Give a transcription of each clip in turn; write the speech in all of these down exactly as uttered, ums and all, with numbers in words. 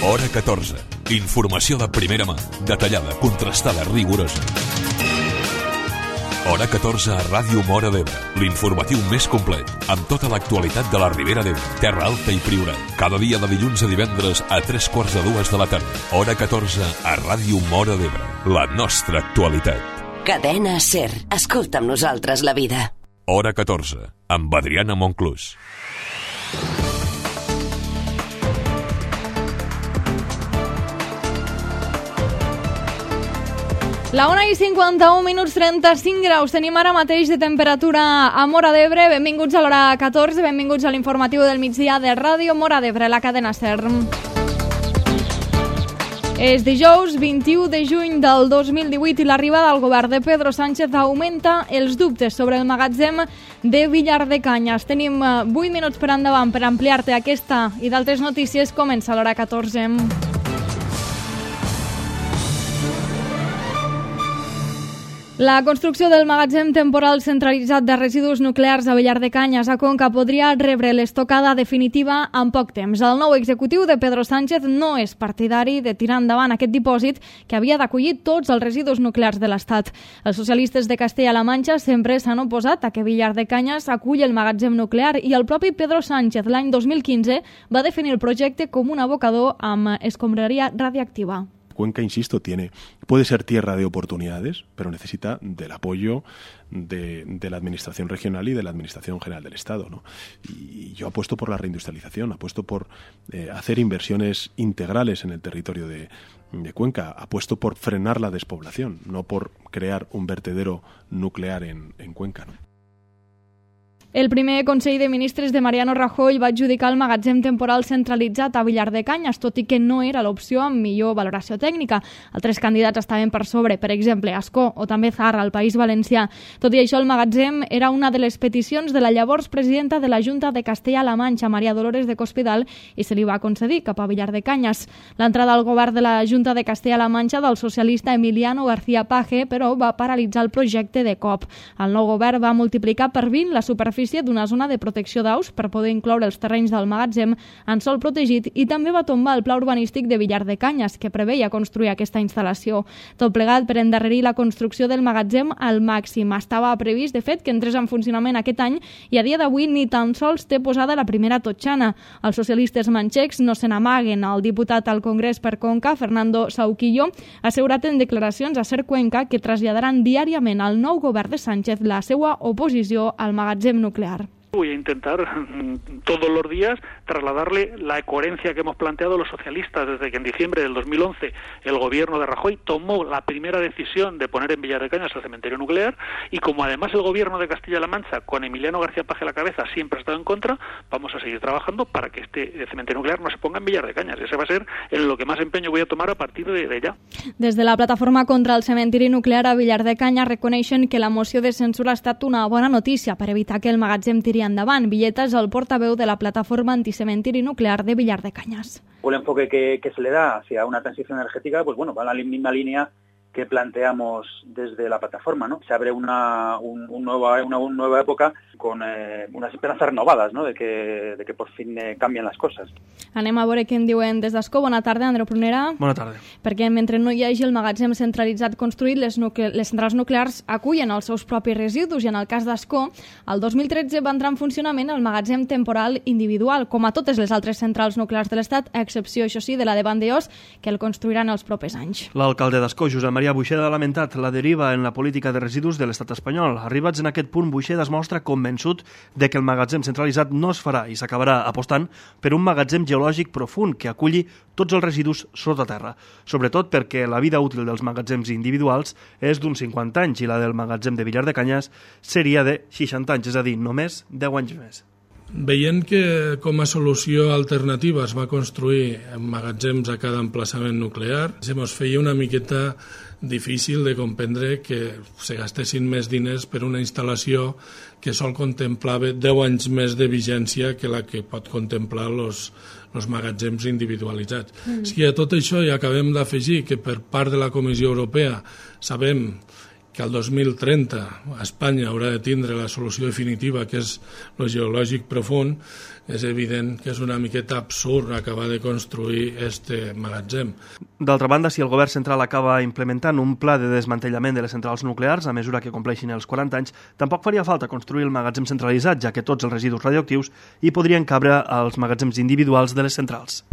Hora catorze. Informació de primera mà, detallada, contrastada, rigorosa. Hora catorze a Ràdio Móra d'Ebre, l'informatiu més complet, amb tota l'actualitat de la Ribera d'Ebre, Terra Alta i Priorat. Cada dia de dilluns a divendres a tres quarts de dues de la tarda. Hora catorze a Ràdio Móra d'Ebre, la nostra actualitat. Cadena SER. Escolta amb nosaltres la vida. Hora catorze, amb Adriana Monclús. La una i cinquanta-un minuts, trenta-cinc graus. Tenim ara mateix de temperatura a Móra d'Ebre. Benvinguts a l'hora catorze, benvinguts a l'informatiu del migdia de Ràdio Móra d'Ebre, la cadena SER. És dijous vint-i-u de juny del dos mil divuit i l'arribada al govern de Pedro Sánchez augmenta els dubtes sobre el magatzem de Villar de Cañas. Tenim vuit minuts per endavant per ampliar-te aquesta i d'altres notícies. Comença l'hora catorze. La construcció del magatzem temporal centralitzat de residus nuclears a Villar de Cañas, a Conca, podria rebre l'estocada definitiva en poc temps. El nou executiu de Pedro Sánchez no és partidari de tirar endavant aquest dipòsit que havia d'acollir tots els residus nuclears de l'Estat. Els socialistes de Castella-La Manxa sempre s'han oposat a que Villar de Cañas aculli el magatzem nuclear i el propi Pedro Sánchez l'any dos mil quinze va definir el projecte com un abocador amb escombraria radiactiva. Cuenca, insisto, tiene, puede ser tierra de oportunidades, pero necesita del apoyo de, de la Administración regional y de la Administración general del Estado, ¿no? Y yo apuesto por la reindustrialización, apuesto por eh, hacer inversiones integrales en el territorio de, de Cuenca, apuesto por frenar la despoblación, no por crear un vertedero nuclear en, en Cuenca, ¿no? El primer Consell de Ministres de Mariano Rajoy va adjudicar el magatzem temporal centralitzat a Villar de Cañas, tot i que no era l'opció amb millor valoració tècnica. Altres candidats estaven per sobre, per exemple, Ascó o també Zarra, al País Valencià. Tot i això, el magatzem era una de les peticions de la llavors presidenta de la Junta de Castella-La Manxa, Maria Dolores de Cospedal, i se li va concedir cap a Villar de Cañas. L'entrada al govern de la Junta de Castella-La Manxa del socialista Emiliano García Paje, però, va paralitzar el projecte de cop. El nou govern va multiplicar per vint la superfície d'una zona de protecció d'aus per poder incloure els terrenys del magatzem en sòl protegit i també va tombar el pla urbanístic de Villar de Cañas, que preveia construir aquesta instal·lació. Tot plegat per endarrerir la construcció del magatzem al màxim. Estava previst, de fet, que entrés en funcionament aquest any i a dia d'avui ni tan sols té posada la primera totxana. Els socialistes manxecs no se n'amaguen. El diputat al Congrés per Conca, Fernando Sauquillo, ha assegurat en declaracions a SER Cuenca que traslladaran diàriament al nou govern de Sánchez la seva oposició al magatzem nuclear. Voy a intentar todos los días trasladarle la coherencia que hemos planteado los socialistas desde que en diciembre del dos mil once el gobierno de Rajoy tomó la primera decisión de poner en Villar de Cañas el cementerio nuclear, y como además el gobierno de Castilla-La Mancha, con Emiliano García Paje a la cabeza, siempre ha estado en contra, vamos a seguir trabajando para que este cementerio nuclear no se ponga en Villar de Cañas. Ese va a ser en lo que más empeño voy a tomar a partir de, de ya. Des de la plataforma contra el cementiri nuclear a Villar de Cañas reconeixen que la moció de censura ha estat una bona notícia per evitar que el magatzem tiri endavant. Villeta és el portaveu de la plataforma anticementiri nuclear de Villar de Cañas. El enfoque que, que se le da hacia una transición energética, pues bueno, va en la misma línea que planteamos desde la plataforma, ¿no? Se abre una, un, un nueva, una, una nueva época con eh, unas esperanzas renovadas, ¿no? De que, de que por fin eh, cambien les coses. Anem a veure què en diuen des d'Ascó. Bona tarda, Andreu Prunera. Bona tarda. Perquè mentre no hi hagi el magatzem centralitzat construït, les, nucle les centrals nuclears acullen els seus propis residus i en el cas d'Ascó, el dos mil tretze va entrar en funcionament el magatzem temporal individual, com a totes les altres centrals nuclears de l'Estat, a excepció, això sí, de la de Vandellòs, que el construiran els propers anys. L'alcalde d'Ascó, Josep Maria Buixeda, ha lamentat la deriva en la política de residus de l'estat espanyol. Arribats en aquest punt, Buixeda es mostra convençut de que el magatzem centralitzat no es farà i s'acabarà apostant per un magatzem geològic profund que aculli tots els residus sota terra, sobretot perquè la vida útil dels magatzems individuals és d'uns cinquanta anys i la del magatzem de Villar de Cañas seria de seixanta anys, és a dir, només deu anys més. Veient que com a solució alternativa es va construir magatzems a cada emplaçament nuclear, se mos feia una miqueta difícil de comprendre que se gastessin més diners per una instal·lació que sol contemplava deu anys més de vigència que la que pot contemplar els els magatzems individualitzats. Mm. Si a tot això hi acabem d'afegir que per part de la Comissió Europea sabem que al dos mil trenta Espanya haurà de tindre la solució definitiva, que és el geològic profund, és evident que és una miqueta absurd acabar de construir este magatzem. D'altra banda, si el govern central acaba implementant un pla de desmantellament de les centrals nuclears a mesura que compleixin els quaranta anys, tampoc faria falta construir el magatzem centralitzat, ja que tots els residus radioactius hi podrien cabre als magatzems individuals de les centrals.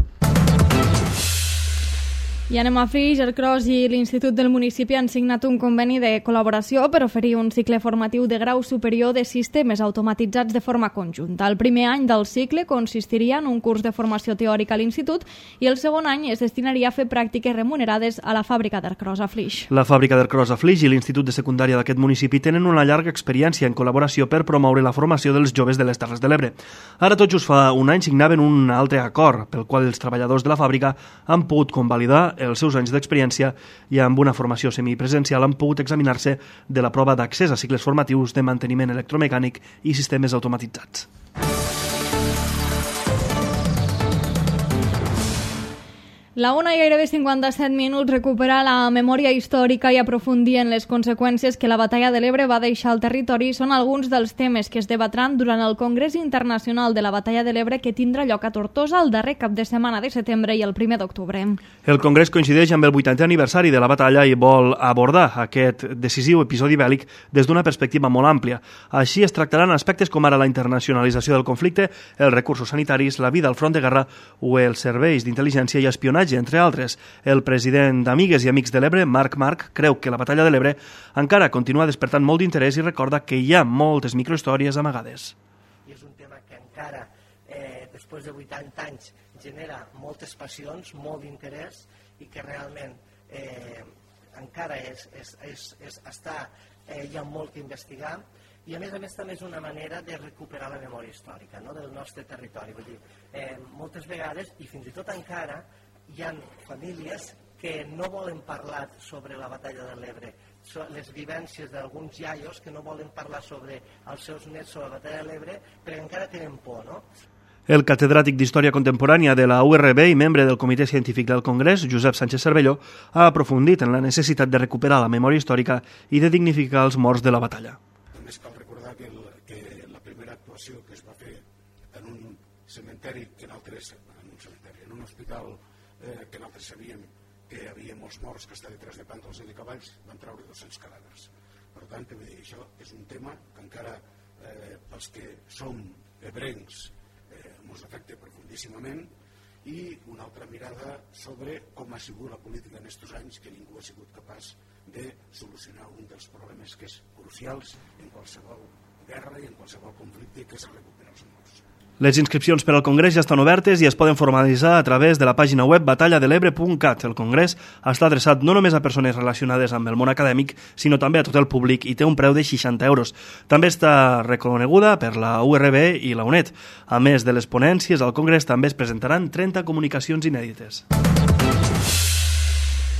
I anem a Flix. El Cros i l'Institut del municipi han signat un conveni de col·laboració per oferir un cicle formatiu de grau superior de sistemes automatitzats de forma conjunta. El primer any del cicle consistiria en un curs de formació teòrica a l'Institut i el segon any es destinaria a fer pràctiques remunerades a la fàbrica d'Ercros a Flix. La fàbrica d'Ercros a Flix i l'Institut de Secundària d'aquest municipi tenen una llarga experiència en col·laboració per promoure la formació dels joves de les Terres de l'Ebre. Ara tot just fa un any signaven un altre acord pel qual els treballadors de la fàbrica han pogut convalidar els seus anys d'experiència i amb una formació semipresencial han pogut examinar-se de la prova d'accés a cicles formatius de manteniment electromecànic i sistemes automatitzats. La una i gairebé cinquanta-set minuts, recuperar la memòria històrica i aprofundir en les conseqüències que la batalla de l'Ebre va deixar al territori són alguns dels temes que es debatran durant el Congrés Internacional de la Batalla de l'Ebre que tindrà lloc a Tortosa el darrer cap de setmana de setembre i el primer d'octubre. El Congrés coincideix amb el vuitantè aniversari de la batalla i vol abordar aquest decisiu episodi bèl·lic des d'una perspectiva molt àmplia. Així es tractaran aspectes com ara la internacionalització del conflicte, els recursos sanitaris, la vida al front de guerra o els serveis d'intel·ligència i espionatge, entre altres. El president d'Amigues i Amics de l'Ebre, Marc Marc, creu que la batalla de l'Ebre encara continua despertant molt d'interès i recorda que hi ha moltes microhistòries amagades. I és un tema que encara, eh, després de vuitanta anys, genera moltes passions, molt d'interès i que realment eh, encara és, és, és, és, està, eh, hi ha molt que investigar. I a més a més també és una manera de recuperar la memòria històrica, no?, del nostre territori. Vull dir, eh, moltes vegades, i fins i tot encara, hi ha famílies que no volen parlar sobre la batalla de l'Ebre, les vivències d'alguns iaios que no volen parlar sobre els seus nets sobre la batalla de l'Ebre perquè encara tenen por, no? El catedràtic d'Història Contemporània de la U R B i membre del Comitè Científic del Congrés, Josep Sánchez Cervelló, ha aprofundit en la necessitat de recuperar la memòria històrica i de dignificar els morts de la batalla. Només cal recordar que, el, que la primera actuació que es va fer en un cementeri, que en altres, en un cementeri, en un hospital eh, que nosaltres sabíem que hi havia molts morts que estan detrás de pàndols i de cavalls, van treure dos-cents cadàvers. Per tant, que dir, això és un tema que encara eh, pels que som ebrencs ens afecta profundíssimament, i una altra mirada sobre com ha sigut la política en aquests anys, que ningú ha sigut capaç de solucionar un dels problemes que és crucials en qualsevol guerra i en qualsevol conflicte, que és recuperar els morts. Les inscripcions per al Congrés ja estan obertes i es poden formalitzar a través de la pàgina web batalla de l'ebre punt cat. El Congrés està adreçat no només a persones relacionades amb el món acadèmic, sinó també a tot el públic i té un preu de seixanta euros. També està reconeguda per la U R B i la UNED. A més de les ponències, al Congrés també es presentaran trenta comunicacions inèdites.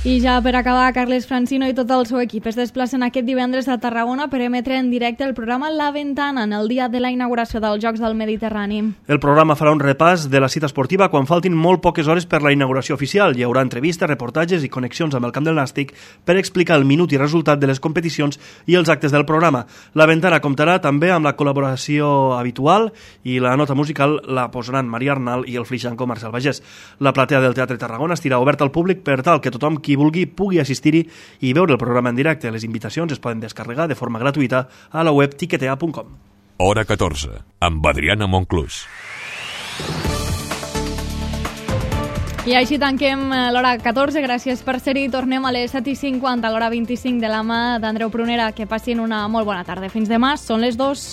I ja per acabar, Carles Francino i tot el seu equip es desplacen aquest divendres a Tarragona per emetre en directe el programa La Ventana en el dia de la inauguració dels Jocs del Mediterrani. El programa farà un repàs de la cita esportiva quan faltin molt poques hores per la inauguració oficial. Hi haurà entrevistes, reportatges i connexions amb el camp del Nàstic per explicar el minut i resultat de les competicions i els actes del programa. La Ventana comptarà també amb la col·laboració habitual i la nota musical la posaran Maria Arnal i el flixanco Marcel Bagés. La platea del Teatre Tarragona estirà oberta al públic per tal que tothom qui vulgui pugui assistir-hi i veure el programa en directe. Les invitacions es poden descarregar de forma gratuïta a la web tiquetea punt com. Hora catorze, amb Adriana Monclús. I així tanquem l'hora catorze. Gràcies per ser-hi. Tornem a les set i cinquanta, a l'hora vint-i-cinc de la mà d'Andreu Prunera. Que passin una molt bona tarda. Fins demà, són les dos.